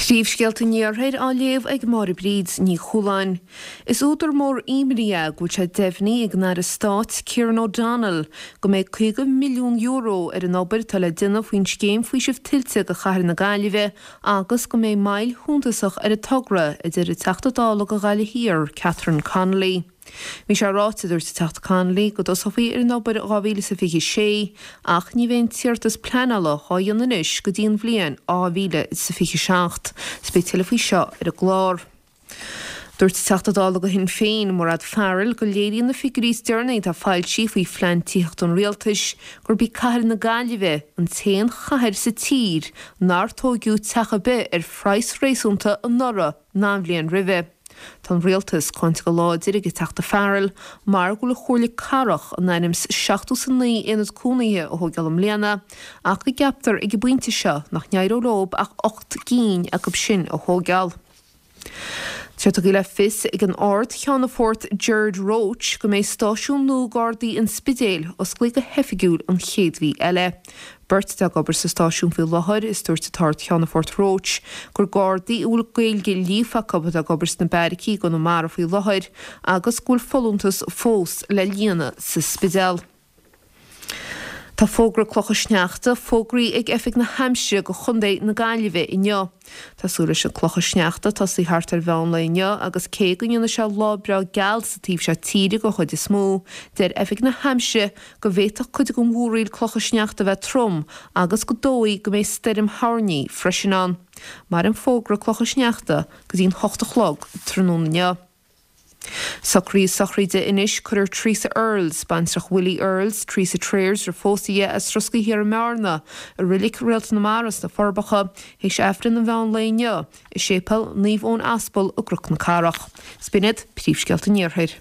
Príomhscéalta an Iarthair á léamh ag Máire Bríd Ní Chualáin. Is údar mór imní é go bhfuil sé deimhnithe ag an Aire Stáit Kieran O'Donnell go mbeidh €50 milliún ar an obair atá le déanamh faoin scéim faoisimh tuilte do chathair na Gaillimhe agus go mbeidh moill shuntasach ar an togra, a deir an Teachta Dála do Ghaillimh Thiar, Catherine Connolly. Bhí sé ráite, a dúirt an Teachta Connolly, go dtosófaí ar an obair in 2026 ach ní bheidh an t-iarratas pleanála á dhéanamh anois go dtí an bhliain 2027. 'S beidh tuilleadh faoi seo ar an gclár. Dúirt an Teachta Dála do Shinn Féin, Mairéad Farrell, go léiríonn na figiúirí is deireanaí atá foilsithe faoi phlean tithíochta an rialtais gurb í cathair na Gaillimhe an t-aon chathair sa tír nár tóigeadh teach ar bith ar phraghas réasúnta anuraidh ná an bhliain roimhe. Tá an Rialtas cáinte go láidir ag an Teachta Farrell mar go bhfuil an Chomhairle Cathrach in ainm 's 79 aonad cónaithe a thóigeáil i mbliana ach go gceaptar ag an bpointe seo nach n-éireoidh leo ach 8 gcinn acu sin a thóigeáil. Tá sé tugtha le fios ag an Ard-Cheannfort Gerard Roche go mbeidh stáisiún nua Gardaí an Spidéil osclaithe go hoifigiúil an chéad mhí eile. Beirt atá ag obair sa stáisiún faoi láthair is dúirt an tArd-Cheannfort Roche gur Gardaí a bhfuil Gaeilge líofa acu atá ag obair sna beairicí i gConamara faoi láthair agus go bhfuil folúntas fós le líonadh sa Spidéal. Tá fógra clocha sneachta fógraithe ag Oifig na hAimsire do Chontae na Gaillimhe inniu. Tá súil leis na clocha sneachta tosaí thart ar mheán lae inniu agus cé go ndéanfaidh sé lá breá geal sa taobh seo tíre den chuid is mó, deir Oifig na hAimsire go bhféadfadh cuid den mhúraíl clocha sneachta a bheith trom agus gur dóigh go mbeidh stoirm thoirní freisin ann. Maireann fógra clocha sneachta go dtí'n 8 a chlog tráthnóna inniu. Socruithe sochraide anois Cuirfear Teresa Earles, baintreach Willie Earles, Teresa Treers roimh phósadh di as Roscaí Thiar i mBearna, i Reilig Réalt na Mara sna Forbacha, théis Aifreann an mheán lae inniu i Séipéal Naomh Eoin Aspal i gCnoc na Cathrach. 'S b'in iad príomhscéalta an Iarthair.